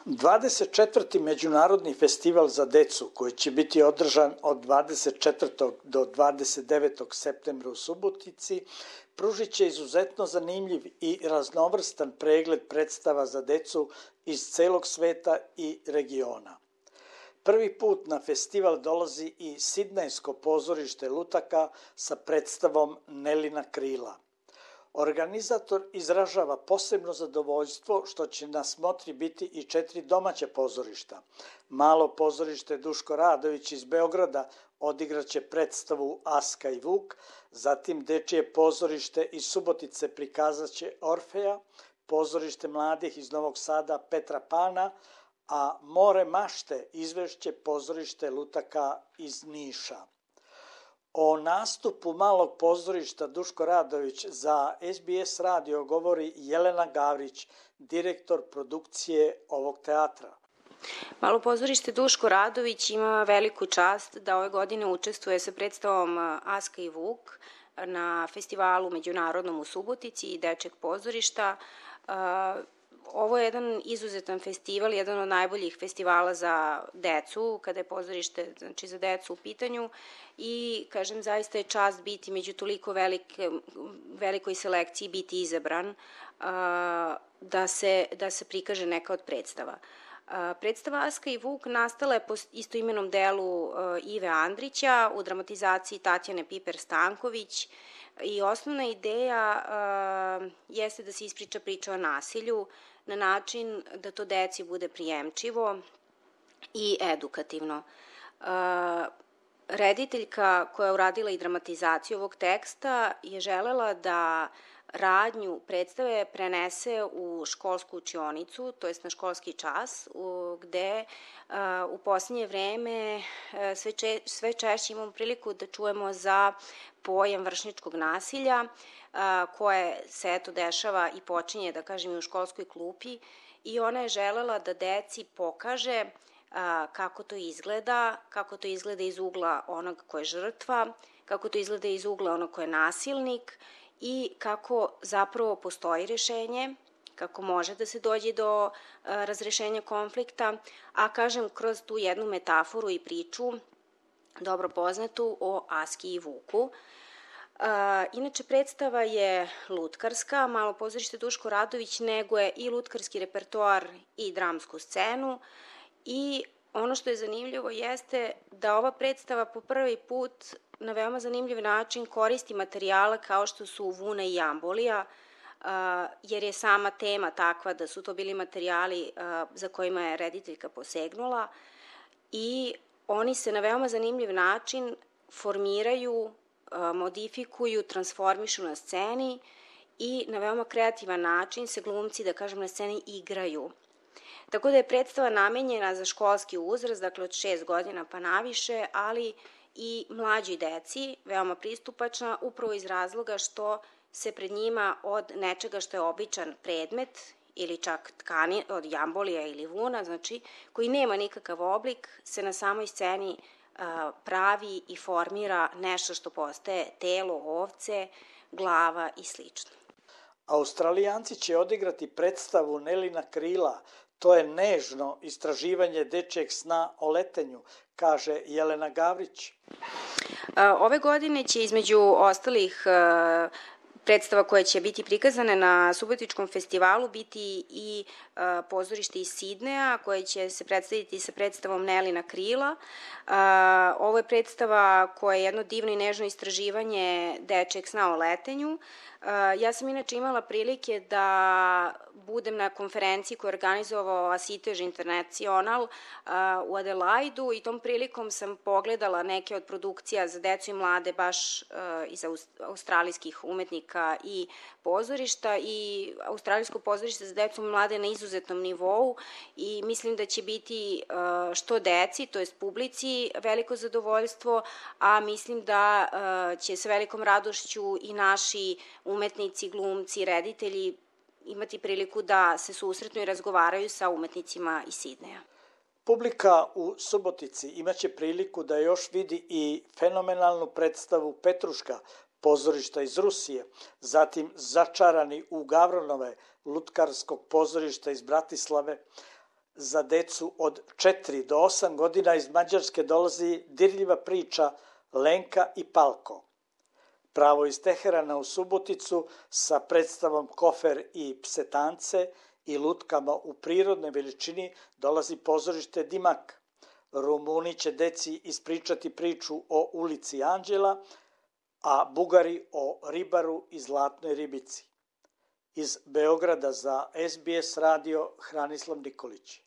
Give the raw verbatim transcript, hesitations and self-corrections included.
dvadeset četvrti Međunarodni festival za decu, koji će biti održan od dvadeset četvrtog do dvadeset devetog septembra u Subotici, pružit će izuzetno zanimljiv i raznovrstan pregled predstava za decu iz celog sveta i regiona. Prvi put na festival dolazi i Sidnejsko pozorište lutaka sa predstavom Nelina krila. Organizator izražava posebno zadovoljstvo što će na smotri biti i četiri domaća pozorišta. Malo pozorište Duško Radović iz Beograda odigraće predstavu Aska i Vuk, zatim Dečije pozorište iz Subotice prikazaće Orfeja, pozorište mladih iz Novog Sada Petra Pana, a More mašte izvešće pozorište lutaka iz Niša. O nastupu malog pozorišta Duško Radović za S B S radio govori Jelena Gavrić, direktor produkcije ovog teatra. Malo pozorište Duško Radović ima veliku čast da ove godine učestvuje sa predstavom Aska i Vuk na festivalu međunarodnom u Subotici i Dečijeg pozorišta. Ovo je jedan izuzetan festival, jedan od najboljih festivala za decu, kada je pozorište, znači za decu u pitanju, i, kažem, zaista je čast biti među toliko velike, velikoj selekciji, biti izabran da se, da se prikaže neka od predstava. Predstava Aska i Vuk nastala je po istoimenom delu Ive Andrića u dramatizaciji Tatjane Piper-Stanković, i osnovna ideja jeste da se ispriča priča o nasilju na način da to deci bude prijemčivo i edukativno. Rediteljka koja je uradila i dramatizaciju ovog teksta je želela da radnju predstave prenese u školsku učionicu, to jest na školski čas, gde u posljednje vreme sve, če, sve češće imamo priliku da čujemo za pojam vršnjačkog nasilja, koje se eto dešava i počinje, da kažem, i u školskoj klupi, i ona je želela da deci pokaže kako to izgleda, kako to izgleda iz ugla onog ko je žrtva, kako to izgleda iz ugla onog ko je nasilnik i kako zapravo postoji rešenje, kako može da se dođe do razrešenja konflikta, a kažem kroz tu jednu metaforu i priču dobro poznatu o Aski i Vuku. Inače, predstava je lutkarska, Malo pozorište Duško Radović neguje i lutkarski repertoar i dramsku scenu, i ono što je zanimljivo jeste da ova predstava po prvi put na veoma zanimljiv način koristi materijale kao što su Vuna i Jambolija, jer je sama tema takva da su to bili materijali za kojima je rediteljka posegnula, i oni se na veoma zanimljiv način formiraju, modifikuju, transformišu na sceni i na veoma kreativan način se glumci, da kažem, na sceni igraju. Tako da je predstava namenjena za školski uzrast, dakle od šest godina pa naviše, ali i mlađoj deci, veoma pristupačna, upravo iz razloga što se pred njima od nečega što je običan predmet ili čak tkani od jambolija ili vuna, znači koji nema nikakav oblik, se na samoj sceni a, pravi i formira nešto što postaje telo ovce, glava i slično. Australijanci će odigrati predstavu Nelina krila. To je nežno istraživanje dečijeg sna o letenju, kaže Jelena Gavrić. Ove godine će između ostalih predstava koje će biti prikazane na Subotičkom festivalu biti i pozorište iz Sidneja koje će se predstaviti sa predstavom Nelina krila. Ovo je predstava koja je jedno divno i nežno istraživanje dečijeg sna o letenju. Ja sam inače imala prilike da budem na konferenciji koju je organizovao Asitež International u Adelaidu i tom prilikom sam pogledala neke od produkcija za decu i mlade baš iz australijskih umetnika i pozorišta, i australijsko pozorište za decu i mlade na izuzetnom nivou, i mislim da će biti što deci, to jest publici, veliko zadovoljstvo, a mislim da će sa velikom radošću i naši umetnici, glumci, reditelji imati priliku da se susretnu i razgovaraju sa umetnicima iz Sidneja. Publika u Subotici imaće priliku da još vidi i fenomenalnu predstavu Petruška, pozorišta iz Rusije, zatim Začarani u Gavronove, lutkarskog pozorišta iz Bratislave, za decu od četiri do osam godina iz Mađarske dolazi dirljiva priča Lenka i Palko. Pravo iz Teherana u Suboticu sa predstavom Kofer i Psetance i lutkama u prirodnoj veličini dolazi pozorište Dimak. Rumuni će deci ispričati priču o ulici Anđela, a Bugari o ribaru i zlatnoj ribici. Iz Beograda za S B S radio Hranislav Nikolić.